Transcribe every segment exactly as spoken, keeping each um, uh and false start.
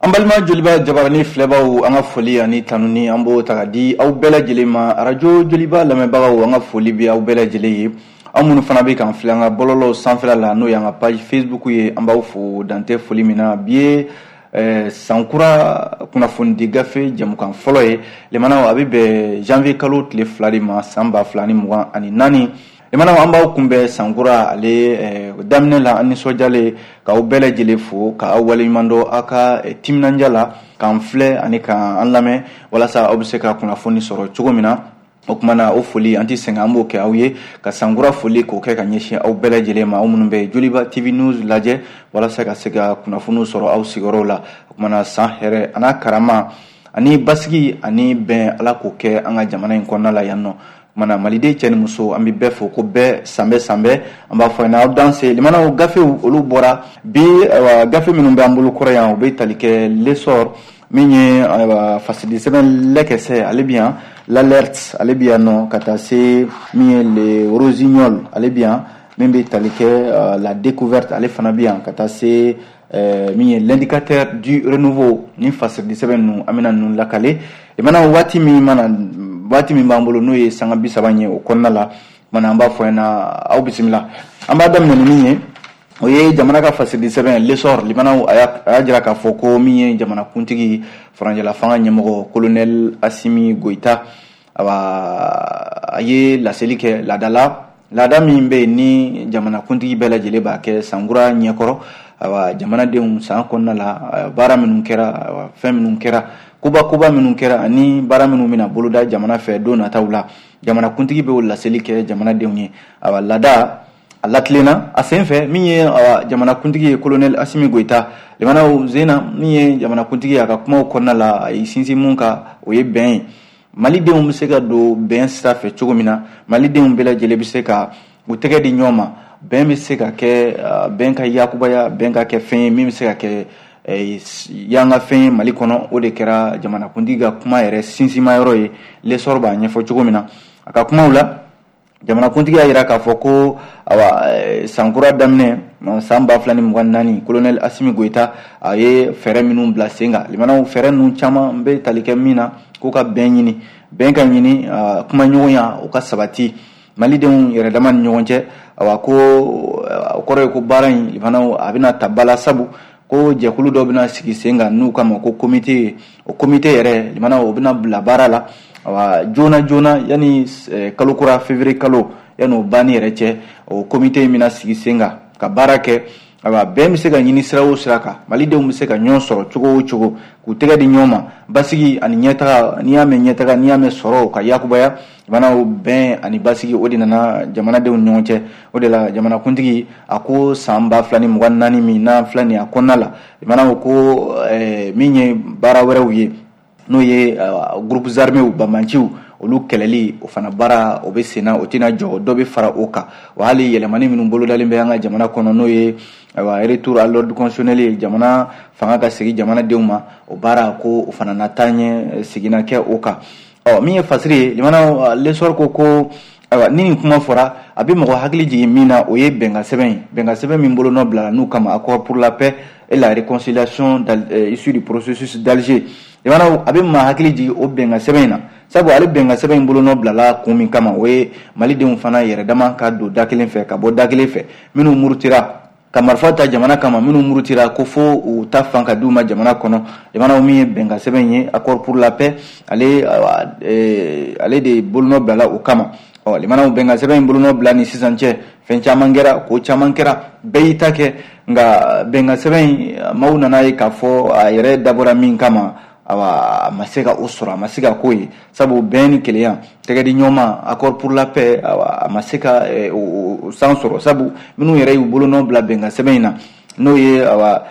An balima Joliba jabarani filɛbaw, an ka foli ani tanuni, an b'o ta ka di aw bɛɛ lajɛlen ma. Arajo Joliba lamɛnbagaw, an ka foli bɛ aw bɛɛ lajɛlen ye. Aw minnu fana bɛ k'an filɛ an ka bɔlɔlɔw sanfɛla la, n'o y'an ka page Facebook ye, an b'aw fo dantɛ foli min na. Bi ye eh, sankura kunnafonidi gafe jɛmukan fɔlɔ ye. Limanaw, a bɛ bɛn janvier kalo tile fila de ma, san ba fila ni mugan ani naani. Limanaw, an b'aw kunbɛn sankura ale eh, daminɛ la, an nisɔndiyalen k'aw bɛɛ lajɛlen fo, k'aw waleɲuman dɔn aw ka eh, timinandiya la k'an filɛ ani k'an lamɛn, walasa aw bɛ se ka kunnafoni sɔrɔ cogo min na. O tuma na, o foli, an tɛ sɛgɛn, an b'o kɛ aw ye, ka sankura foli k'o kɛ ka ɲɛsin aw bɛɛ lajɛlen ma, aw minnu bɛ Joliba T V News lajɛ walasa ka se ka kunnafoniw sɔrɔ aw sigiyɔrɔw la. O tuma na, san hɛrɛ a n'a karama ani basigi ani bɛn, Ala k'o kɛ an ka jamana in kɔnɔna la yan nɔ. Kumana, maliden cɛ ni muso, an bɛ bɛɛ fo ko bɛɛ sanbɛ sanbɛ, an b'a fɔ aw danse. Limanaw, gafew olu bɔra bi. Ayiwa, gafe minnu bɛ an bolo kɔrɔ yan, u bɛ tali kɛ L'Essor min ye, ayiwa, fasidi sɛbɛn Lɛkɛsɛ, ale bi yan, L'Alerte, ale bi yan nɔ, ka taa se min ye Le Rossignol, ale bi yan, min bɛ tali kɛ La Découverte, ale fana bi yan, ka taa se min ye L'Indicateur du Renouveau. Ni fasidi sɛbɛn ninnu, an bɛna ninnu lakale. Limana, waati min mana, waati min b'an bolo, n'o ye sanga bi saba ye, o kɔnɔna la mana, an b'a fɔ ɲɛna, aw bisimila. An b'a daminɛ ni min ye, o ye jamana ka fasidi sɛbɛn L'Essor. Limanaw, a y'a jira k'a fɔ ko min ye jamanakuntigi, furancɛla fanga ɲɛmɔgɔ, colonel Assimi Goïta, awa, a ye laseli kɛ laadala, laada min bɛ yen ni jamanakuntigi bɛɛ lajɛlen b'a kɛ sankura ɲɛkɔrɔ. Ayiwa, jamanadenw, san kɔnɔna la, baara minnu kɛra, fɛn minnu kɛra, koba koba minnu kɛra, ani baara minnu bɛna boloda jamana fɛ don nataw la, jamanakuntigi bɛ o laseli kɛ jamanadenw ye. Ayiwa, laada a latilenna a sen fɛ, min ye jamanakuntigi ye, colonel Assimi Goïta, limanaw, zena min ye jamanakuntigi ye, a ka kumaw kɔnɔna la, a ye sinsin mun kan, o ye bɛn ye. Malidenw bɛ se ka don bɛn sira fɛ cogo min na, malidenw bɛɛ lajɛlen bɛ se ka u tɛgɛ di ɲɔgɔn ma, bɛn bɛ se ka kɛ, bɛn ka yakubaya, bɛn ka kɛ fɛn ye min bɛ se ka kɛ yanga fɛn ye Mali kɔnɔ. O de kɛra jamanakuntigi ka kuma yɛrɛ sinsinma yɔrɔ ye, L'Essor b'a ɲɛfɔ cogo min na. A ka kumaw la, jamanakuntigi y'a jira k'a fɔ ko, awa, sankura daminɛ san ba fila ni mugan naani, colonel Assimi Goïta a ye fɛɛrɛ minnu bila sen kan, limanaw, fɛɛrɛ ninnu caman bɛ tali kɛ min na, k'u ka bɛn ɲini, bɛn ka ɲini, kumaɲɔgɔnya o ka sabati malidenw yɛrɛ dama ni ɲɔgɔn cɛ. Awa, ko o kɔrɔ ye ko baara in, limanaw, a bɛna ta ba la, sabu ko jɛkulu dɔ bɛna sigi sen kan n'u kama ko comité. O comité yɛrɛ, limanaw, o bɛna bila baara la, awa, joona joona, yanni kalo kura, février kalo, yanni o banni yɛrɛ cɛ, o comité in bɛna sigi sen kan ka baara kɛ. Ayiwa, bɛn bɛ se ka ɲini sira o sira kan, malidenw bɛ se ka ɲɔgɔn sɔrɔ cogo o cogo, k'u tɛgɛ di ɲɔgɔn ma, basigi ani ɲɛtaga, n'i y'a mɛn ɲɛtaga, n'i y'a mɛn sɔrɔ ka yakubaya, jamanaw, bɛn ani basigi, o de nana jamanadenw ni ɲɔgɔn cɛ. O de la, jamanakuntigi a ko san ba fila ni mugan naani min n'an filɛ nin ye, a kɔnɔna la, jamanaw ko min ye baara wɛrɛw ye, n'o ye groupes armés, banbanciw, olu kɛlɛli, o fana baara o bɛ sen na, o tɛna jɔ, dɔ bɛ fara o kan. Wa hali yɛlɛmani minnu bolodalen bɛ an ka jamana kɔnɔ, n'o ye, ayiwa, retour à l'ordre constitutionnel ye, jamana fanga ka segin jamanadenw ma, o baara ko o fana na taa ɲɛ, seginna kɛ o kan. Ɔ, min ye fasiri ye, jamana L'Essor ko ko ayiwa, ni nin kuma fɔra, a bɛ mɔgɔ hakili jigin min na, o ye bɛnkan sɛbɛn ye, bɛnkan sɛbɛn min bolonɔ bila n'u kama, Accord pour la paix et la réconciliation issu du processus d'Alger. Jamana, a bɛ maa hakili jigin o bɛnkan sɛbɛn in na, sabu ale bɛnkan sɛbɛn in bolonɔ bilala kun min kama, o ye malidenw fana yɛrɛ dama ka don da kelen fɛ ka bɔ da kelen fɛ, minnu murutira ka marifa ta jamana kama, minnu murutira ko fo u ta fan ka di u ma jamana kɔnɔ. Jamana, min ye bɛnkan sɛbɛn ye, Accord pour la paix, ale ale de bolonɔ bilala o kama. Ɔ, limanaw, bɛnkan sɛbɛn in bolonɔ bila ni sisan cɛ, fɛn caman kɛra, ko caman kɛra, bɛɛ y'i ta kɛ, nka bɛnkan sɛbɛn in, maaw nana ye k'a fɔ a yɛrɛ dabɔra min kama, awa, a ma se ka o sɔrɔ, a ma se ka k'o ye, sabu bɛn ni kelenya, tɛgɛ di ɲɔgɔn ma, Accord pour la paix, awa, a ma se ka o san sɔrɔ, sabu minnu yɛrɛ y'u bolonɔ bila bɛnkan sɛbɛn in na, n'o ye, awa,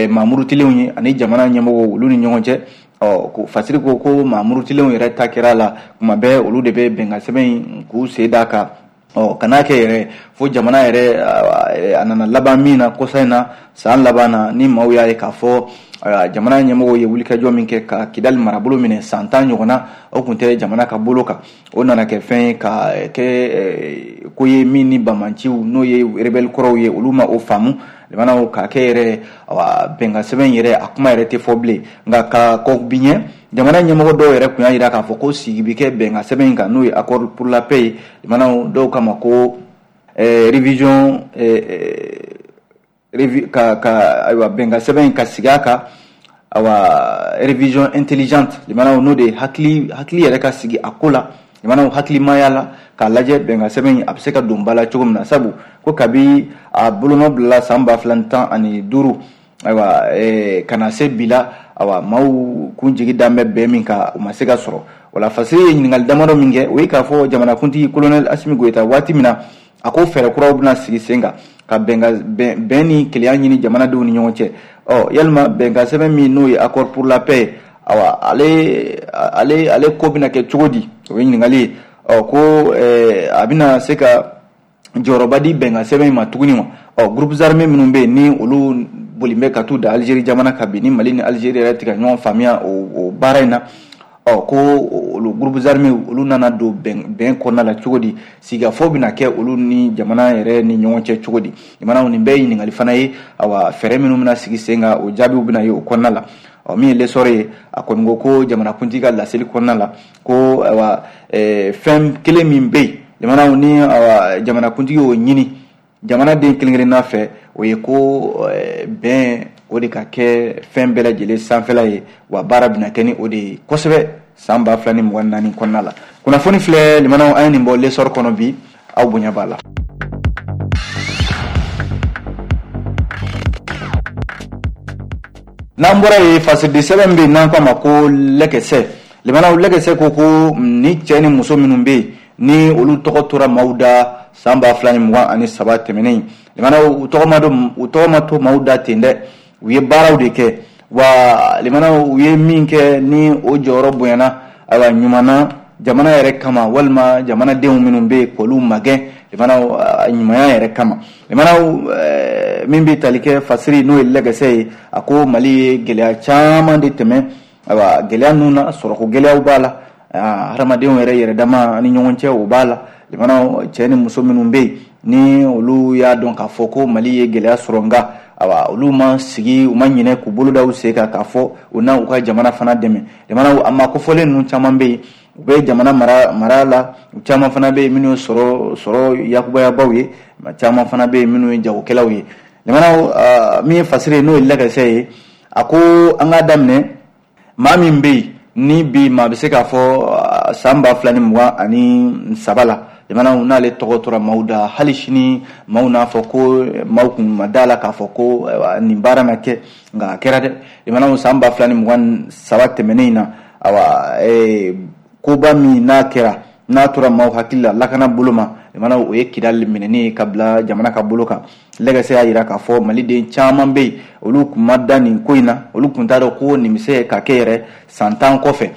maa murutilenw ye ani jamana ɲɛmɔgɔw, olu ni ɲɔgɔn cɛ. Ɔ, ko fasiri ko ko maa murutilenw yɛrɛ ta kɛra la, kuma bɛɛ olu de bɛ bɛnkan sɛbɛn in k'u sen d'a kan. Ɔ, kan'a kɛ yɛrɛ fo Fo jamana yɛrɛ a nana laban min na kɔsa in na san laban na, ni maaw y'a ye k'a fɔ jamana ɲɛmɔgɔw ye wulikajɔ min kɛ ka Kidali marabolo minɛ san tan ɲɔgɔn na, o tun tɛ jamana ka bolo kan. O nana kɛ fɛn ye ka kɛ ko ye min ni bamanciw n'o ye rebelle kɔrɔw ye, olu ma o faamu. Limanaw k'a kɛ yɛrɛ bɛnkan sɛbɛn yɛrɛ a kuma yɛrɛ tɛ fɔ bilen. Nka ka kɔ bi ɲɛ, jamana ɲɛmɔgɔ dɔw yɛrɛ tun y'a jira k'a fɔ ko sigi bɛ kɛ bɛnkan sɛbɛn in kan, n'o ye accord pour la paix ye. Limanaw dɔw kama ko révision ka ka ayiwa bɛnkan sɛbɛn in ka sigi a kan, ayiwa révision intelligente. Limanaw n'o de ye hakili hakili yɛrɛ ka sigi a ko la, limanaw hakilimaya la k'a lajɛ bɛnkan sɛbɛn in a bɛ se ka don ba la cogo min na. Sabu ko kabi a bolonɔ bilala san ba fila ni tan ani duuru, ayiwa ka na se bi la, ayiwa maaw kun jigi dan bɛ bɛn min kan, o ma se ka sɔrɔ. Wala Fasiri ye ɲininkali damadɔ min kɛ, o ye k'a fɔ jamanakuntigi colonel Assimi Goïta waati min na a ko fɛɛrɛ kuraw bɛna sigi sen kan ka bɛn bɛn ni kelenya ɲini jamanadenw ni ɲɔgɔn cɛ. Ɔ yalima bɛnkan sɛbɛn min n'o ye accord pour la paix, awa ale ale ale ko bɛna kɛ cogo di? O ye ɲininkali ye. Ɔ ko a bɛna se ka jɔyɔrɔba di bɛnkan sɛbɛn in ma tuguni wa? Ɔ groupes armés minnu bɛ yen ni olu boli bɛ ka t'u da Algérie jamana kan bi, ni Mali ni Algérie yɛrɛ tɛ ka ɲɔgɔn faamuya o baara in na, ɔ ko olu groupes armés olu nana don bɛn bɛn kɔnɔna la cogo di? Sigikafɔ bɛna kɛ olu ni jamana yɛrɛ ni ɲɔgɔn cɛ cogo di? Jamanaw nin bɛɛ ye ɲininkali fana ye. Awa fɛɛrɛ minnu bɛna sigi sen kan, o jaabiw bɛna ye o kɔnɔna la. Ɔ min ye l'essor ye, a kɔni ko ko jamanakuntigi ka laseli kɔnɔna la ko ayiwa fɛn kelen min bɛ yen jamanaw ni awa jamanakuntigi y'o ɲini jamanaden kelen kelenna fɛ, o ye ko bɛn o de ka kɛ fɛn bɛɛ lajɛlen sanfɛla ye, wa baara bɛna kɛ ni o de ye kosɛbɛ san ba fila ni mugan naani kɔnɔna la. Kunnafoni filɛ limanaw, an ye nin bɔ l'essor kɔnɔ bi, aw bonya b'a la. N'an bɔra yen, fasiridi sɛbɛn bɛ yen n'an k'a ma ko lɛkɛsɛ. Limanaw lɛkɛsɛ ko ko ni cɛ ni muso minnu bɛ yen ni olu tɔgɔ tora maaw da san ba fila ni mugan ani saba tɛmɛnen, limanaw u tɔgɔ ma don u tɔgɔ ma to maaw da ten dɛ, u ye baaraw de kɛ. Wa limanaw u ye min kɛ ni o jɔyɔrɔ bonyana, ayiwa ɲuman na jamana yɛrɛ kama, walima jamanadenw minnu bɛ yen k'olu magɛn limanaw ɲumanya yɛrɛ kama. Limanaw min bɛ tali kɛ fasiri n'o ye lɛkɛsɛ ye, a ko Mali ye gɛlɛya caman de tɛmɛ. Ayiwa gɛlɛya ninnu na, sɔrɔko gɛlɛyaw b'a la, hadamadenw yɛrɛ yɛrɛ dama ni ɲɔgɔn cɛ o b'a la. Limanaw cɛ ni muso minnu bɛ yen ni olu y'a dɔn k'a fɔ ko Mali ye gɛlɛya sɔrɔ, nka awa olu ma sigi, u ma ɲinɛ k'u bolo da u sen kan k'a fɔ u na u ka jamana fana dɛmɛ. Limanaw a ma kofɔlen ninnu caman bɛ yen, u bɛ jamana mara mara la, u caman fana bɛ yen minnu ye sɔrɔ sɔrɔ yakubayabaw ye, caman fana bɛ yen minnu ye jagokɛlaw ye. Limanaw min ye fasiri ye n'o ye lɛkɛsɛ ye, a ko an k'a daminɛ maa min bɛ yen ni bi maa bɛ se k'a fɔ san ba fila ni mugan ani saba la, jamanaw n'ale tɔgɔ tora maaw da, hali sini maaw n'a fɔ ko maaw kun ma da la k'a fɔ ko nin baara na kɛ, nka a kɛra dɛ. Jamanaw san ba fila ni mugan saba tɛmɛnen in na, awa koba min n'a kɛra n'a tora maaw hakili la lakana bolo ma, jamanaw o ye Kidali minɛni ye ka bila jamana ka bolo kan. Lɛkɛsɛ y'a jira k'a fɔ maliden caman bɛ yen olu kun ma da nin ko in na, olu kun t'a dɔn ko nin bɛ se ka kɛ yɛrɛ san tan kɔfɛ.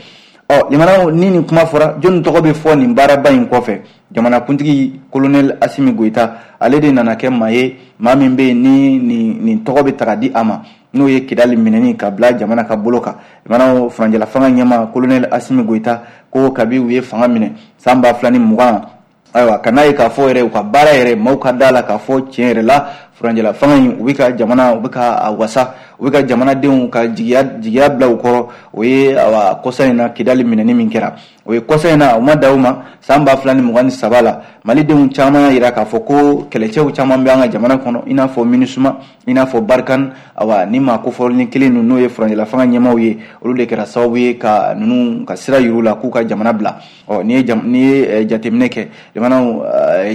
Ɔ limanaw ni nin kuma fɔra, jɔnni tɔgɔ bɛ fɔ nin baaraba in kɔfɛ? Jamanakuntigi colonel Assimi Goïta, ale de nana kɛ maa ye, maa min bɛ yen ni nin nin tɔgɔ bɛ ta ka di a ma, n'o ye Kidali minɛni ka bila jamana ka bolo kan. Limanaw furancɛla fanga ɲɛmaa colonel Assimi Goïta ko kabi u ye fanga minɛ san ba fila ni mugan, ayiwa ka n'a ye k'a fɔ yɛrɛ u ka baara yɛrɛ maaw ka da la k'a fɔ tiɲɛ yɛrɛ la furancɛla fanga in u bɛ ka jamana u bɛ ka a wasa, u bɛ ka jamanadenw ka jigiya jigiya bila u kɔrɔ. O ye awa kɔsa in na Kidali minɛni min kɛra, o ye kɔsa in na, o ma da u ma san ba fila ni mugan ni saba la. Malidenw caman y'a jira k'a fɔ ko kɛlɛcɛw caman bɛ an ka jamana kɔnɔ, i n'a fɔ MINUSMA, i n'a fɔ Barkhane, awa ni maa kofɔlen kelen ninnu n'o ye furancɛla fanga ɲɛmaaw ye, olu de kɛra sababu ye ka ninnu ka sira yir'u la k'u ka jamana bila. Ɔ n'i ye n'i ye jateminɛ kɛ, jamanaw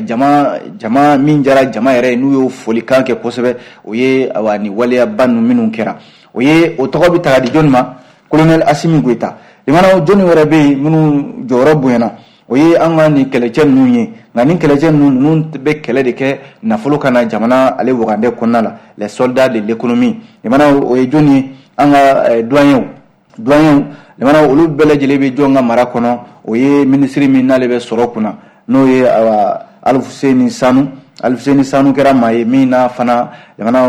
jama jama min jara jama yɛrɛ ye n'u y'o folikan kɛ kosɛbɛ, o ye awa ni waleyaba ninnu minnu kɛra, o ye o tɔgɔ bɛ ta ka di jɔnni ma? Colonel Assimi Goïta. Limanaw jɔnni wɛrɛ bɛ yen minnu jɔyɔrɔ bonyana, o ye an ka nin kɛlɛcɛ ninnu ye. Nka nin kɛlɛcɛ ninnu ninnu bɛ kɛlɛ de kɛ nafolo ka na jamana ale wagandɛ kɔnɔna la, les soldats de l'économie. Limanaw o ye jɔnni ye? An ka douaniers douaniers limanaw olu bɛɛ lajɛlen bɛ jɔn ka mara kɔnɔ? O ye minisiri min n'ale bɛ sɔrɔ kunna, n'o ye awa Alfousseyni Sanu. Alifuseni Sanu kɛra maa ye min n'a fana jamana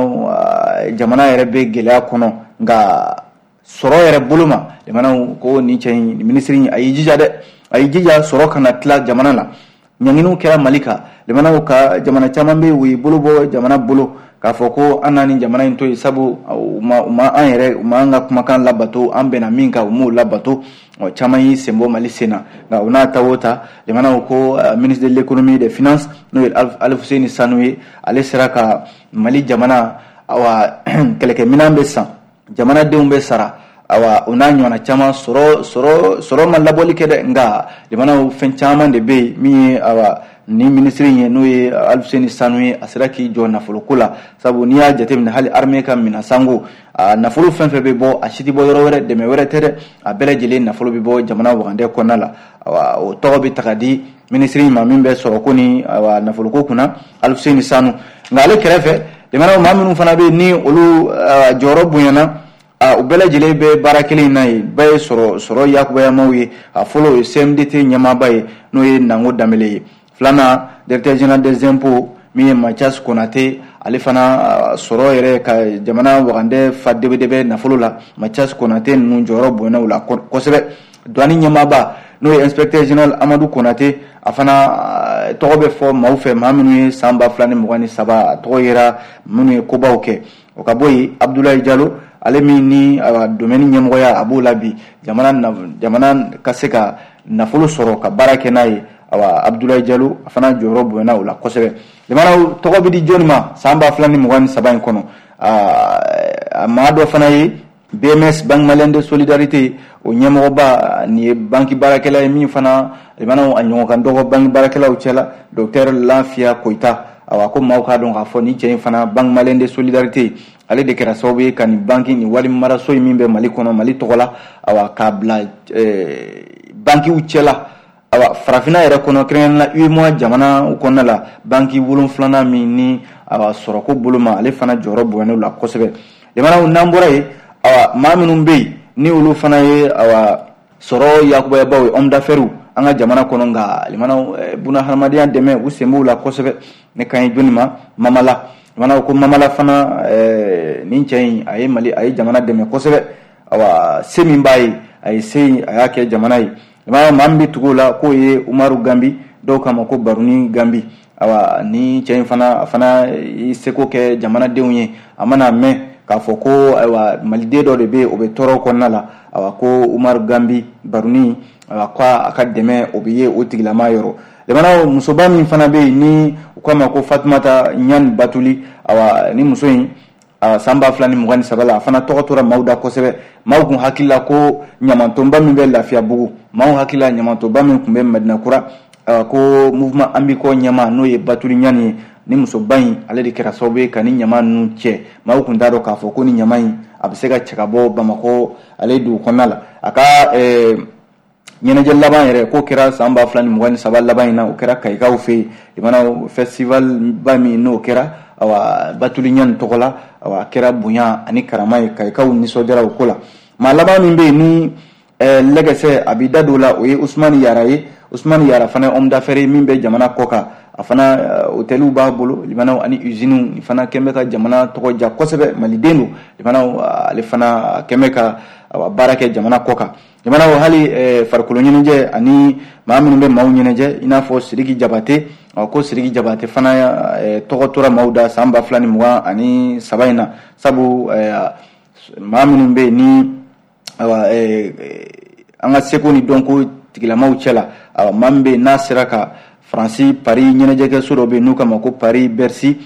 jamana yɛrɛ bɛ gɛlɛya kɔnɔ, nka sɔrɔ yɛrɛ bolo ma jamana ko nin cɛ in minisiri a y'i jija dɛ, a y'i jija sɔrɔ kana tila jamana la. Ɲanginiw kɛra Mali kan, jamanaw ka jamana caman bɛ yen u y'i bolo bɔ jamana bolo k'a fɔ ko an na nin jamana in to yen, sabu u ma u ma an yɛrɛ u ma an ka kumakan labato, an bɛnna min kan u m'o labato. Ɔ caman y'i sen bɔ Mali sen na, nka o n'a ta o ta jamanaw ko ministre de l'économie et des finances n'o ye Alifuseni Sanu ye, ale sera ka Mali jamana awa kɛlɛkɛminɛn bɛ san, jamanadenw bɛ sara, awa o n'a ɲɔgɔnna caman sɔrɔ sɔrɔ sɔrɔ ma labɔli kɛ dɛ, nka jamanaw fɛn caman de bɛ yen min ye awa ni minisiri ye n'o ye Alifuseni Sanu ye, a sera k'i jɔ nafoloko la, sabu n'i y'a jateminɛ hali armée ka minɛn sango a nafolo fɛn fɛn bɛ bɔ a si tɛ bɔ yɔrɔ wɛrɛ, dɛmɛ wɛrɛ tɛ dɛ, a bɛɛ lajɛlen nafolo bɛ bɔ jamana wagandɛ kɔnɔna la. Awa o tɔgɔ bɛ ta ka di minisiri ma min bɛ sɔrɔko ni awa nafoloko kunna, Alifuseni Sanu. Nka ale kɛrɛfɛ jamanaw maa minnu fana bɛ yen ni olu jɔyɔrɔ bonyana, u bɛɛ lajɛlen bɛ baara kelen in na yen, bɛɛ ye sɔrɔ sɔrɔ yakubayamaw ye. A fɔlɔ o ye C M D T ɲɛmaaba ye n'o ye Nango Danbele ye, filanan directeur général des impôts min ye Mathias Konate, ale fana sɔrɔ yɛrɛ ka jamana wagandɛ fa debedebe nafolo la, Mathias Konate ninnu jɔyɔrɔ bonyana u la kosɛbɛ. Douane ɲɛmaaba n'o ye inspecteur général Amadou Konate, a fana tɔgɔ bɛ fɔ maaw fɛ, maa minnu ye san ba fila ni mugan ni saba a tɔgɔ yera minnu ye kobaw kɛ. O ka bɔ yen Abdoulaye Diallo, ale min ni domaine ɲɛmɔgɔya a b'o la bi, jamana jamana ka se ka nafolo sɔrɔ ka baara kɛ n'a ye, awa Abdoulaye Diallo a fana jɔyɔrɔ bonyana o la kosɛbɛ. Jamana tɔgɔ bɛ di jɔnni ma san ba fila ni mugan ni saba in kɔnɔ? A maa dɔ fana ye B M S, Banque Malienne de Solidarité, o ɲɛmɔgɔba nin ye banque baarakɛla ye min fana jamana a ɲɔgɔn kan dɔgɔ banque baarakɛlaw cɛla, docteur Lafia Koyita. Awa ko maaw k'a dɔn k'a fɔ ni cɛ in fana Banque Malienne de Solidarité ale de kɛra sababu ye ka nin banque nin wari maraso in min bɛ Mali kɔnɔ Mali tɔgɔ la, awa k'a bila bankiw cɛla, awa farafinna yɛrɛ kɔnɔ kɛrɛnkɛrɛnnenya la UEMOA jamana kɔnɔna la, banki wolonfilanan min ni awa sɔrɔko bolo ma, ale fana jɔyɔrɔ bonyana la kosɛbɛ. Jamanaw n'an bɔra yen, awa maa minnu bɛ yen ni olu fana ye awa sɔrɔ yakubayabaw ye, homme d'affaires an ka jamana kɔnɔ, nka limanaw buna hadamadenya dɛmɛ u sen b'u la kosɛbɛ. Ne kan ye jɔnni ma? Mamala. Limanaw ko Mamala fana nin cɛ in a ye Mali a ye jamana dɛmɛ kosɛbɛ, awa se min b'a ye a ye se a y'a kɛ jamana ye. Limanaw maa min bɛ tugu o la k'o ye Umaru Gambi, dɔw k'a ma ko Baruni Gambi. Awa ni cɛ in fana a fana y'i seko kɛ jamanadenw ye, a mana mɛn k'a fɔ ko ayiwa maliden dɔ de bɛ yen o bɛ tɔɔrɔ kɔnɔna la, awa ko Umaru Gambi Baruni, awa ko a ka dɛmɛ o bɛ ye o tigilama yɔrɔ. Jamana musoba min fana bɛ yen ni u k'a ma ko Fatumata Ɲani Batuli, awa ni muso in san ba fila ni mugan ni saba la a fana tɔgɔ tora maaw da kosɛbɛ. Maaw kun hakili la ko ɲamantonba min bɛ Lafiyabugu, maaw hakili la ɲamantonba min tun bɛ Madinakura, ko mouvement Ambiko ɲɛmaa n'o ye Batuli Ɲani ye, ni musoba in ale de kɛra sababu ye ka ni ɲama ninnu cɛ. Maaw kun t'a dɔn k'a fɔ ko ni ɲama in a bɛ se ka cɛ ka bɔ Bamakɔ ale dugu kɔnɔna la. A ka ɲɛnajɛ laban yɛrɛ k'o kɛra san ba fila ni mugan ni saba laban in na, o kɛra Kayikaw fɛ yen, jamana festival ba min n'o kɛra awa Batuli Ɲani tɔgɔ la, awa a kɛra bonya ani karama ye, Kayikaw nisɔndiyara o ko la. Maa laban min bɛ yen ni lɛgɛsɛ a b'i da don o la, o ye Usumani Yara ye. Usumani Yara fana ye homme d'affaires ye min bɛ jamana kɔ kan, a fana hôteliw b'a bolo limanaw ani usines, nin fana kɛn bɛ ka jamana tɔgɔ ja kosɛbɛ, maliden don limanaw, ale fana kɛn bɛ ka baara kɛ jamana kɔ kan. Jamanaw hali farikolo ɲɛnajɛ ani maa minnu bɛ maaw ɲɛnajɛ i n'a fɔ Sidiki Jabate, ko Sidiki Jabate fana tɔgɔ tora maaw da san ba fila ni mugan ani saba in na, sabu maa minnu bɛ yen ni an ka seko ni dɔnko tigilamaw cɛ la, maa min bɛ yen n'a sera ka Faransi Paris ɲɛnajɛkɛso dɔ bɛ yen n'u k'a ma ko Paris Bercy,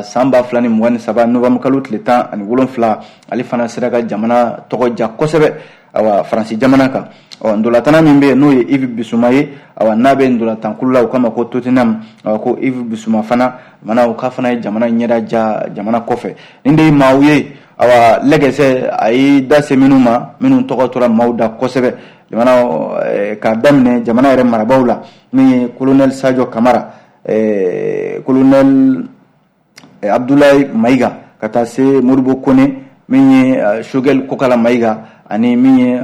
san ba fila ni mugan ni saba novembre kalo tile tan ani wolonfila, ale fana sera ka jamana tɔgɔ ja kosɛbɛ awa Faransi jamana kan. Ɔ ndolatana min bɛ yen n'o ye Yves Bissouma ye, awa n'a bɛ ndolatankulu la u k'a ma ko Tottenham, awa ko Yves Bissouma fana mana o k'a fana ye jamana ɲɛda ja jamana kɔfɛ. Nin de ye maaw ye awa lɛgɛsɛ a ye da se minnu ma, minnu tɔgɔ tora maaw da kosɛbɛ jamana k'a daminɛ jamana yɛrɛ marabaaw la, min ye colonel Sadio Kamara, colonel Abdoulaye Maïga, ka taa se Modibo Kone, Min ye Choguel Kokalla Maïga ani min ye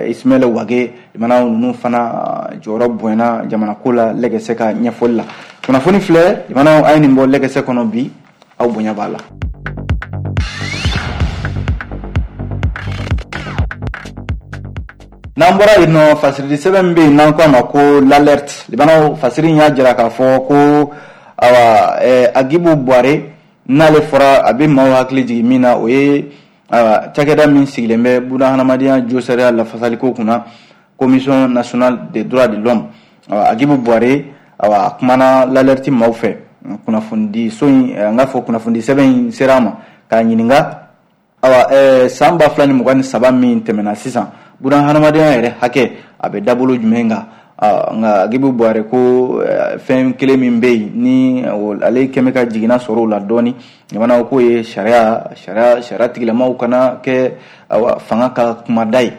Ismaël Wagué, limanaw ninnu fana jɔyɔrɔ bonyana jamana ko la lɛgɛsɛ ka ɲɛfɔli la. Kunnafoni filɛ, limanaw, a ye nin bɔ lɛgɛsɛ kɔnɔ bi, aw bonya b'a la. N'an bɔra yen nɔ, fasiridi sɛbɛn min bɛ yen n'an ko a ma ko l'alerte, limanaw, fasiri in y'a jira k'a fɔ ko awa Hadjibou Bouaré, n'ale fɔra a bɛ maaw hakili jigin min na, o ye awa cakɛda min sigilen bɛ buna hadamadenya josariya lafasaliko kunna, Commission nationale des droits de l'homme. Awa Hadjibou Bouaré, awa a kumana l'alerte maaw fɛ. Kunnafonidi so in, n k'a fɔ kunnafonidi sɛbɛn in sera a ma k'a ɲininka, awa san ba fila ni mugan ni saba min tɛmɛna sisan, buna hadamadenya yɛrɛ hakɛ a bɛ dabolo jumɛn kan? Nka Hadjibou Bouaré ko fɛn kelen min bɛ yen ni ale kɛmɛ ka jiginna sɔrɔ o la dɔɔni, jamana k'o ye sariya sariya sariya tigilamaw kana kɛ awa fanga ka kumada ye,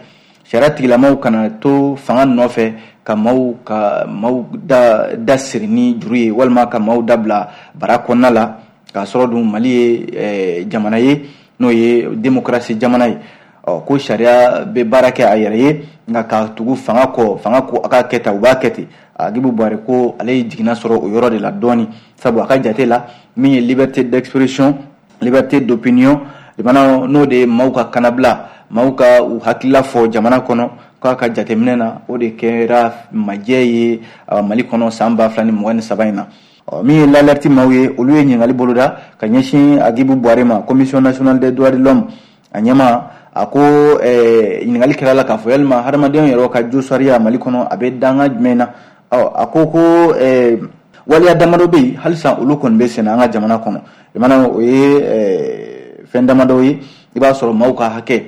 sariya tigilamaw kana to fanga nɔfɛ ka maaw ka maaw da da siri ni juru ye, walima ka maaw dabila bara kɔnɔna la, k'a sɔrɔ dun Mali ye jamana ye n'o ye démocratie jamana ye. Ɔ ko sariya bɛ baara kɛ a yɛrɛ ye, nka ka tugu fanga kɔ, fanga ko a ka kɛ tan, u b'a kɛ ten. Hadjibou Bouaré ko ale ye jiginna sɔrɔ o yɔrɔ de la dɔɔni, sabu a ka jate la min ye liberté d'expression, liberté d'opinion, limana n'o de ye maaw ka kanabila, maaw ka u hakilila fɔ jamana kɔnɔ, k'a ka jateminɛ na o de kɛra majɛ ye Mali kɔnɔ san ba fila ni mugan ni saba in na. Ɔ min ye l'alerte maaw ye, olu ye ɲininkali boloda ka ɲɛsin Hadjibou Bouaré ma, Commission nationale des droits de l'homme a ɲɛmaa. A ko ɲininkali kɛra la k'a fɔ yalima hadamadenw yɛrɛ ka josariya Mali kɔnɔ a bɛ danga jumɛn na? Ɔ a ko ko waleya damadɔ bɛ yen halisa olu kɔni bɛ senna an ka jamana kɔnɔ. Limana o ye fɛn damadɔ ye, i b'a sɔrɔ maaw ka hakɛ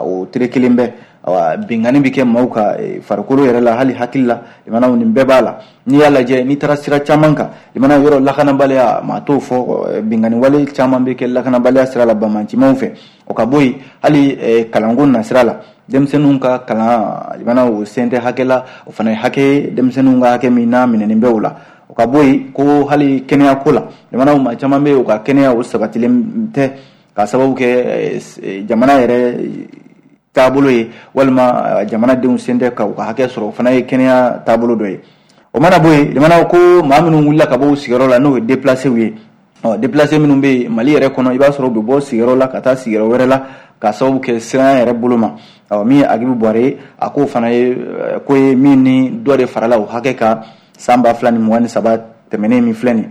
o tere kelen bɛ, awa binkanni bɛ kɛ maaw ka farikolo yɛrɛ la, hali hakili la, limana nin bɛɛ b'a la. N'i y'a lajɛ, n'i taara sira caman kan, limana yɔrɔ lakanabaliya, maa t'o fɔ, binkanni wale caman bɛ kɛ lakanabaliya sira la banbaancimaw fɛ. O ka bɔ yen, hali kalanko nasira la, denmisɛnninw ka kalan, limana o sen tɛ hakɛ la, o fana ye hakɛ, denmisɛnninw ka hakɛ min n'a minɛnen bɛ o la. O ka bɔ yen, ko hali kɛnɛyako la, limana maa caman bɛ yen u ka kɛnɛya o sabatilen tɛ, k'a sababu kɛ jamana yɛrɛ taabolo ye, walima jamanadenw sen tɛ ka u ka hakɛ sɔrɔ, o fana ye kɛnɛya taabolo dɔ ye. O mana bɔ yen, limana ko maa minnu wulila ka bɔ u sigiyɔrɔ la, n'o ye déplacés ye, ɔ déplacés minnu bɛ yen Mali yɛrɛ kɔnɔ, i b'a sɔrɔ u bɛ bɔ sigiyɔrɔ la ka taa sigiyɔrɔ wɛrɛ la, k'a sababu kɛ siranya yɛrɛ bolo ma. Ɔ min ye Hadjibou Bouaré ye, a k'o fana ye ko ye min ni dɔ de farala o hakɛ kan san ba fila ni mugan ni saba tɛmɛnen min filɛ nin ye.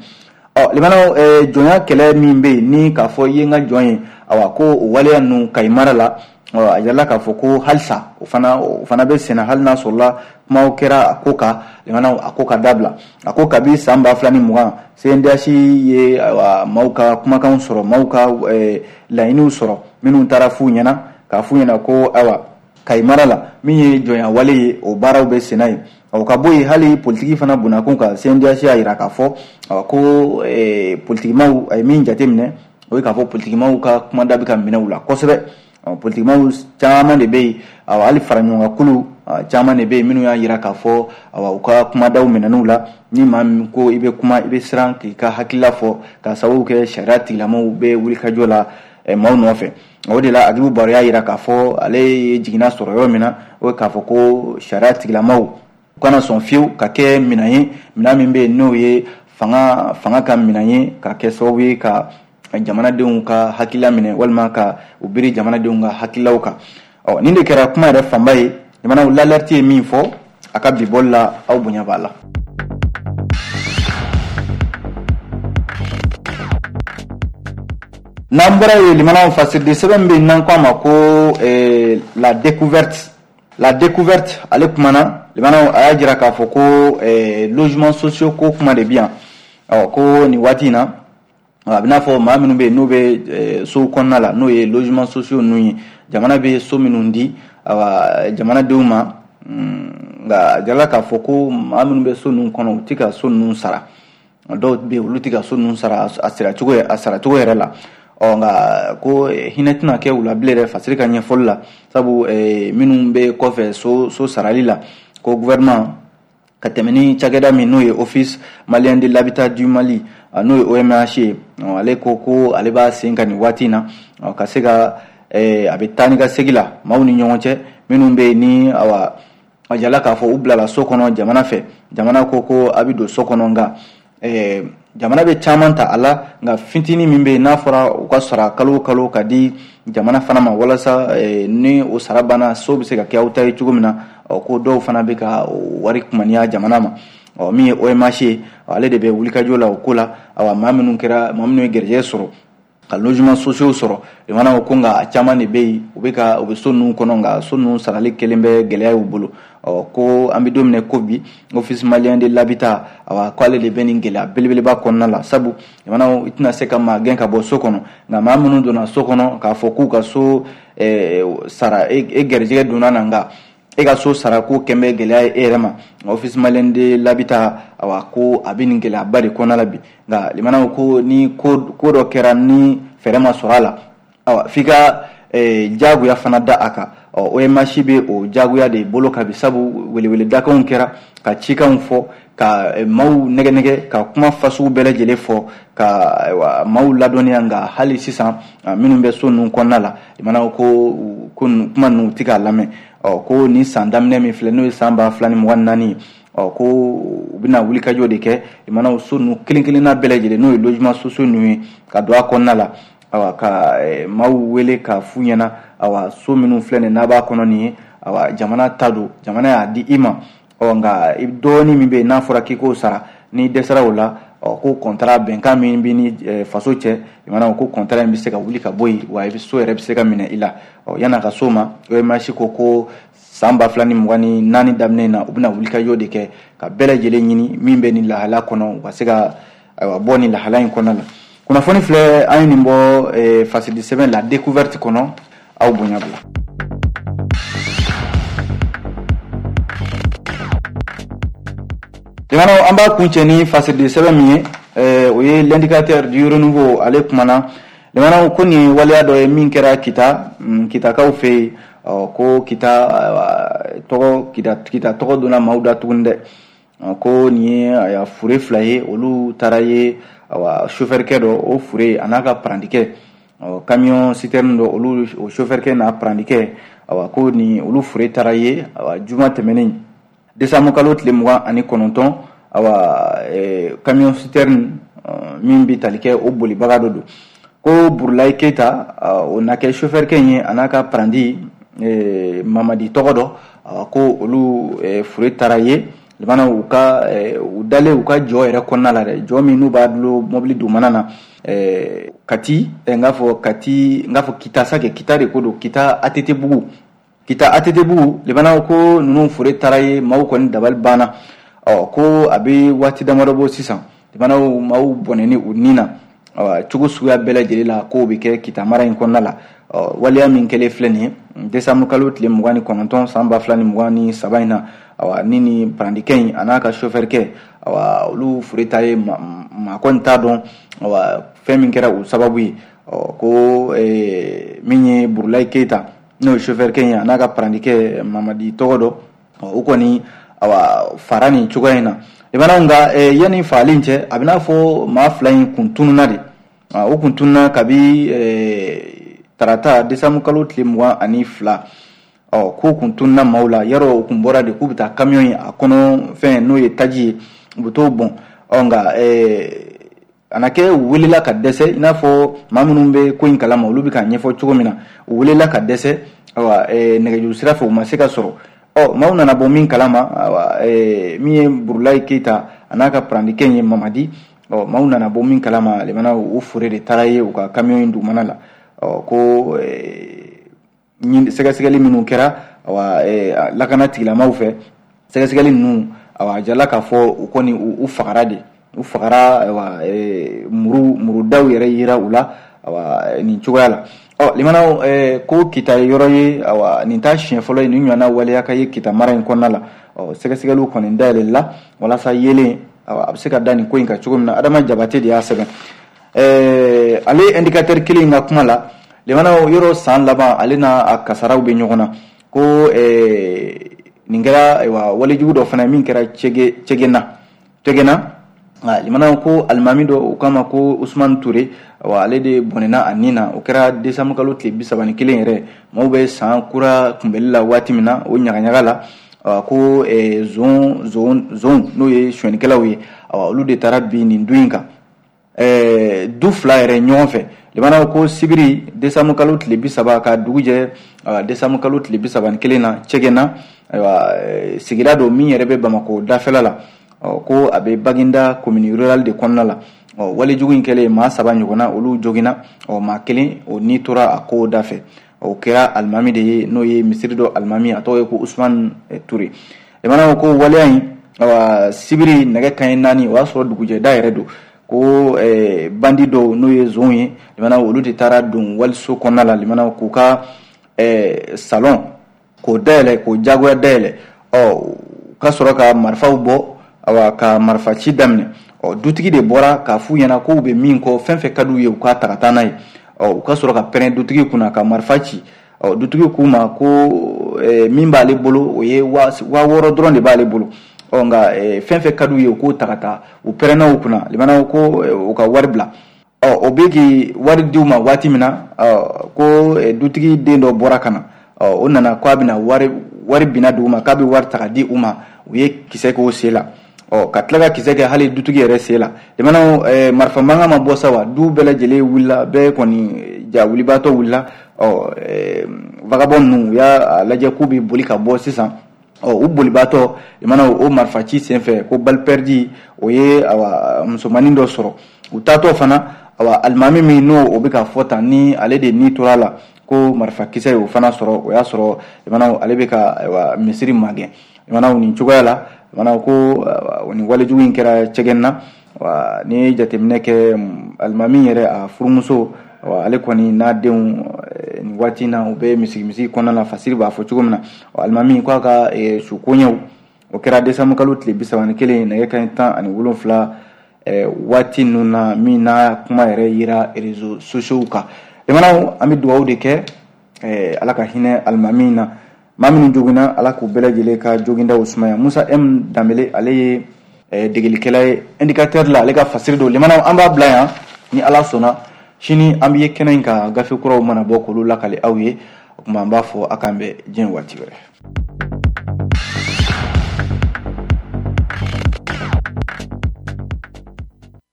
Ɔ limanaw, jɔnya kɛlɛ min bɛ yen ni k'a fɔ i ye n ka jɔn ye, awa ko o waleya ninnu Kayi mara la, ɔ a yirala k'a fɔ ko halisa o fana o fana bɛ senna, hali n'a sɔrɔla kumaw kɛra a ko kan, limanaw a ko ka dabila. A ko kabi san ba fila ni mugan C N D H ye ayiwa maaw ka kumakanw sɔrɔ, maaw ka laɲiniw sɔrɔ minnu taara f'u ɲɛna, k'a f'u ɲɛna ko ayiwa Kayi mara la min ye jɔnya wale ye, o baaraw bɛ senna yen. O ka bɔ yen, hali politiki fana bonnakun kan, C N D H y'a jira k'a fɔ ko politikimaw a ye min jateminɛ, o ye k'a fɔ politikimaw ka kumada bɛ ka minɛ u la kosɛbɛ. Politikimaw caman de bɛ yen, awa hali faraɲɔgɔnkankulu caman de bɛ yen minnu y'a jira k'a fɔ awa u ka kumadaw minɛn'u la. Ni maa min ko i bɛ kuma, i bɛ siran k'i ka hakilila fɔ, k'a sababu kɛ sariya tigilamaw bɛ wulikajɔ la maaw nɔfɛ. O de la Hadjibou Bouaré y'a jira k'a fɔ ale ye jiginna sɔrɔ yɔrɔ min na, o ye k'a fɔ ko sariya tigilamaw u kana sɔn fiyewu ka kɛ minɛn ye, minɛn min bɛ yen n'o ye fanga fanga ka minɛn ye, ka kɛ sababu ye ka jamanadenw ka hakilila minɛ, walima ka u biri jamanadenw ka hakililaw kan. Ɔ nin de kɛra kuma yɛrɛ fanba ye. Jamanaw, l'alerte ye min fɔ a ka bi bɔli la, aw bonya b'a la. N'an bɔra yen, limanaw, fasiridi sɛbɛn bɛ yen n'an ko a ma ko la découverte. La découverte ale kumana, limanaw, a y'a jira k'a fɔ ko logement sociaux ko kuma de bi yan. Ɔ ko nin waati in na, a bɛ n'a fɔ maa minnu bɛ yen n'u bɛ sow kɔnɔna la, n'o ye logement sociaux ninnu ye, jamana bɛ so minnu di awa jamanadenw ma, nka a jirala k'a fɔ ko maa minnu bɛ so ninnu kɔnɔ, u tɛ ka so ninnu sara. Dɔw bɛ yen olu tɛ ka so ninnu sara a saracogo a saracogo yɛrɛ la. Ɔ nka ko hinɛ tɛna kɛ u la bilen dɛ, fasiri ka ɲɛfɔli la, sabu minnu bɛ kɔfɛ so so sarali la, ko gouvernement ka tɛmɛ ni cakɛda min n'o ye Office malien de l'habitat du Mali, n'o ye O M H ye, ale ko ko ale b'a sen ka nin waati in na ka se ka a bɛ taa ni ka segin la maaw ni ɲɔgɔn cɛ minnu bɛ yen ni awa a jala k'a fɔ u bilala so kɔnɔ jamana fɛ jamana ko ko a bɛ don so kɔnɔ nka jamana bɛ caman ta a la nka fitinin min bɛ yen n'a fɔra u ka sara kalo o kalo ka di jamana fana ma walasa ni o sara banna so bɛ se ka kɛ aw ta ye cogo min na ko dɔw fana bɛ ka wari kumaniya jamana ma ɔ min ye O M H ye ale de bɛ wulikajɔ la o ko la awa maa minnu kɛra maa minnu ye garijɛgɛ sɔrɔ ka logement sociaux sɔrɔ jamana ko nka a caman de bɛ yen u bɛ ka u bɛ so ninnu kɔnɔ nka so ninnu sarali kelen bɛ gɛlɛya y'u bolo ɔ ko an bɛ don min na ko bi Office malien de l'habitat awa k'ale de bɛ nin gɛlɛya belebeleba kɔnɔna la sabu jamana i tɛna se ka maa gɛn ka bɔ so kɔnɔ nka maa minnu donna so kɔnɔ k'a fɔ k'u ka so sara e garijɛgɛ donna na nka e ka so sara ko kɛn bɛ gɛlɛya ye e yɛrɛ ma Office malien de l'habitat awa ko a bɛ nin gɛlɛyaba de kɔnɔna la bi nka limanaw ko ni ko ko dɔ kɛra ni fɛɛrɛ ma sɔrɔ a la awa f'i ka jagoya fana da a kan ɔ O M H bɛ o jagoya de bolo ka bi sabu weleweledakanw kɛra ka cikanw fɔ ka maaw nɛgɛ nɛgɛ ka kuma fasugu bɛɛ lajɛlen fɔ ka ayiwa maaw ladɔnniya nka hali sisan minnu bɛ so ninnu kɔnɔna la limanaw ko ko kuma ninnu tɛ k'a lamɛn ɔ ko nin san daminɛ min filɛ n'o ye san ba fila ni mugan ni naani ɔ ko u bɛna wulikajɔ de kɛ limanaw so ninnu kelen kelenna bɛɛ lajɛlen n'o ye logement sociaux ninnu ye ka don a kɔnɔna la awa ka maaw wele ka f'u ɲɛna awa so minnu filɛ nin n'a b'a kɔnɔ nin ye awa jamana ta don jamana y'a di i ma ɔ nka dɔɔnin min bɛ yen n'a fɔra k'i k'o sara n'i dɛsɛra o la ɔ ko contrat bɛnkan min b'i ni faso cɛ limanaw ko contrat in bɛ se ka wuli ka bɔ yen wa i bɛ so yɛrɛ bɛ se ka minɛ i la ɔ yan'a ka s'o ma O M H ko ko san ba fila ni mugan ni naani daminɛ in na u bɛna wulikajɔ de kɛ ka bɛɛ lajɛlen ɲini min bɛ nin lahala kɔnɔ u ka se ka ayiwa bɔ nin lahala in kɔnɔna la kunnafoni filɛ an ye nin bɔ fasidi sɛbɛn la découverte kɔnɔ aw bonya bila. Limanaw an b'a kuncɛ ni fasidi sɛbɛn min ye o ye l'indicateur du renouveau ale kumana limanaw ko nin waleya dɔ ye min kɛra Kita Kitakaw fɛ yen ko Kita tɔgɔ Kita Kita tɔgɔ donna maaw da tuguni dɛ ko nin ye a fure fila ye olu taara ye awa chauffeur-kɛ dɔ o fure a n'a ka parantikɛ camion citerne dɔ olu o chauffeur-kɛ n'a parantikɛ awa ko nin olu fure taara ye awa juma tɛmɛnen décembre kalo tile mugan ani kɔnɔntɔn awa camion citerne min bɛ tali kɛ o bolibaga dɔ don ko Burulayi Keyita o na kɛ chauffeur-kɛ in ye a n'a ka paranti Mamadi tɔgɔ dɔ ko olu fure taara ye limanaw u ka u dalen u ka jɔ yɛrɛ kɔnɔna la dɛ jɔ min n'u b'a dulon mobili dugumana na Kati n k'a fɔ Kati n k'a fɔ Kita sa kɛ Kita de ko don Kita A T T Bugu Kita A T T Bugu limanaw ko ninnu fure taara ye maaw kɔni dabali banna ɔ ko a bɛ waati damadɔ bɔ sisan limanaw maaw bɔnɛni u ni na cogo suguya bɛɛ lajɛlen la k'o bɛ kɛ Kita mara in kɔnɔna la ɔ waleya min kɛlen filɛ nin ye décembre kalo tile mugan ni kɔnɔntɔn san ba fila ni mugan ni saba in na awa ni ni parantikɛ in a n'a ka chauffeur-kɛ awa olu fure ta ye maa kɔni t'a dɔn awa fɛn min kɛra o sababu ye ɔ ko min ye Burulayi Keyita n'o ye chauffeur-kɛ in ye a n'a ka parantikɛ Mamadi tɔgɔ dɔ o kɔni awa fara nin cogoya in na limanaw nka yanni fagali in cɛ a bɛ n'a fɔ maa fila in kun tununna de o kun tununna kabi tarata décembre kalo tile mugan ani fila ɔ k'o kun tununna maaw la yarɔ o kun bɔra de k'u bɛ taa camion ye a kɔnɔ fɛn n'o ye taji ye u bɛ t'o bɔn ɔ nka a na kɛ u welela ka dɛsɛ i n'a fɔ maa minnu bɛ ko in kalama olu bɛ k'a ɲɛfɔ cogo min na u welela ka dɛsɛ awa nɛgɛjuru sira fɛ u ma se ka sɔrɔ ɔ maaw nana bɔ min kalama awa min ye Burulayi Keyita a n'a ka parantikɛ in ye Mamadi ɔ maaw nana bɔ min kalama limanaw o fure de taara ye u ka camion in dugumana la ɔ ko sɛgɛsɛgɛli minnu kɛra awa lakana tigilamaw fɛ sɛgɛsɛgɛli ninnu awa a jala k'a fɔ u kɔni u fagara de u fagara awa muru murudaw yɛrɛ yira u la awa nin cogoya la ɔ limanaw ko Kita ye yɔrɔ ye awa nin t'a siɲɛ fɔlɔ ye nin ɲɔgɔnna waleya ka ye Kita mara in kɔnɔna la ɔ sɛgɛsɛgɛliw kɔni dayɛlɛla walasa yelen awa a bɛ se ka da nin ko in kan cogo min na Adama Jabate de y'a sɛbɛn ale indicateur kelen in ka kuma la limanaw yɔrɔ san laban ale n'a a kasaraw bɛ ɲɔgɔn na ko nin kɛra ayiwa walejugu dɔ fana min kɛra Cɛgɛna Cɛgɛna Nka limanaw ko alimami dɔ u k'a ma ko Usumani Ture, awa ale de bɔnɛna a nin na. O kɛra décembre kalo tile bi saba ni kelen yɛrɛ, maaw bɛ san kura kunbɛli la waati min na, o ɲagaɲaga la, awa ko zon zon zon n'o ye sonyɛnikɛlaw ye, awa olu de taara bin nin du in kan, ɛɛ du fila yɛrɛ ɲɔgɔn fɛ. Limanaw ko sibiri décembre kalo tile bi saba ka dugu jɛ décembre kalo tile bi saba ni kelen na, Cɛgɛna, ayiwa sigida don min yɛrɛ bɛ Bamakɔ dafɛla la, ko a bɛ Baginda commune rurale de kɔnɔna la. Ɔ walejugu in kɛlen, maa saba ɲɔgɔnna olu joginna, ɔ maa kelen o ni tora a ko da fɛ. O kɛra alimami de ye, n'o ye misiri dɔ alimami, a tɔgɔ ye ko Usumani Ture. Limanaw ko waleya in, awa sibiri nɛgɛ kanɲɛ naani, o y'a sɔrɔ dugujɛda yɛrɛ don, ko bandi dɔw n'o ye zonw ye, limanaw olu de taara don waliso kɔnɔna la, limanaw k'u ka salon k'o dayɛlɛ, k'o jagoya dayɛlɛ, ɔ ka sɔrɔ ka marifaw bɔ, awa ka marifa ci daminɛ. Ɔ dutigi de bɔra k'a f'u ɲɛna k'u bɛ min kɔ, fɛn fɛn ka d'u ye u k'a ta ka taa n'a ye. Ɔ u ka sɔrɔ ka pɛrɛn dutigi kunna ka marifa ci. Ɔ dutigi k'u ma ko min b'ale bolo o ye waa wɔɔrɔ dɔrɔn de b'ale bolo, ɔ nka fɛn fɛn ka d'u ye u k'o ta ka taa. U pɛrɛnna u kunna, limanaw ko u ka wari bila. Ɔ o bɛ k'i wari di u ma waati min na, ko dutigi den dɔ bɔra ka na, ɔ o nana k'a bɛna wari wari binna dugu ma, k'a bɛ wari ta ka di u ma, u ye kisɛ k'o sen la, ɔ ka tila ka kisɛ kɛ hali dutigi yɛrɛ sen la. Limanaw marifa mankan ma bɔ sa wa, du bɛɛ lajɛlen wulila, bɛɛ kɔni ja wulibaatɔ wulila. Ɔ vagabond ninnu u y'a lajɛ k'u bɛ boli ka bɔ sisan. Ɔ u bolibaatɔ, limanaw o marifa ci senfɛ ko balle perdue o ye awa musomanin dɔ sɔrɔ. U taatɔ fana, awa alimami min n'o o bɛ ka fɔ tan ni ale de ni tora la, ko marifakisɛ y'o fana sɔrɔ. O y'a sɔrɔ limanaw ale bɛ ka ayiwa misiri magɛn. Limanaw nin cogoya la, limanaw ko nin walejugu in kɛra Cɛgɛn na. Wa n'i ye jateminɛ kɛ, alimami yɛrɛ a furumuso, ale kɔni n'a denw nin waati in na u bɛ misigi misigi kɔnɔna la, fasiri b'a fɔ cogo min na. Alimami k'a ka su koɲɛw o kɛra décembre kalo tile bi saba ni kelen nɛgɛ kanɲɛ tan ani wolonfila waati ninnu na, min n'a kuma yɛrɛ yira réseaux sociaux kan. Limanaw an bɛ dugawu de kɛ, Ala ka hinɛ alimami na, maa minnu joginna Ala k'u bɛɛ lajɛlen ka jogindaw sumaya. Musa M Danbele ale ye degelikɛla ye indicateur la, ale ka fasiri don. Limanaw an b'a bila yan, ni Ala sɔnna sini an bɛ ye kɛnɛ in kan, gafe kuraw mana bɔ k'olu lakale aw ye. O tuma an b'a fɔ a k'an bɛn diɲɛ waati wɛrɛ.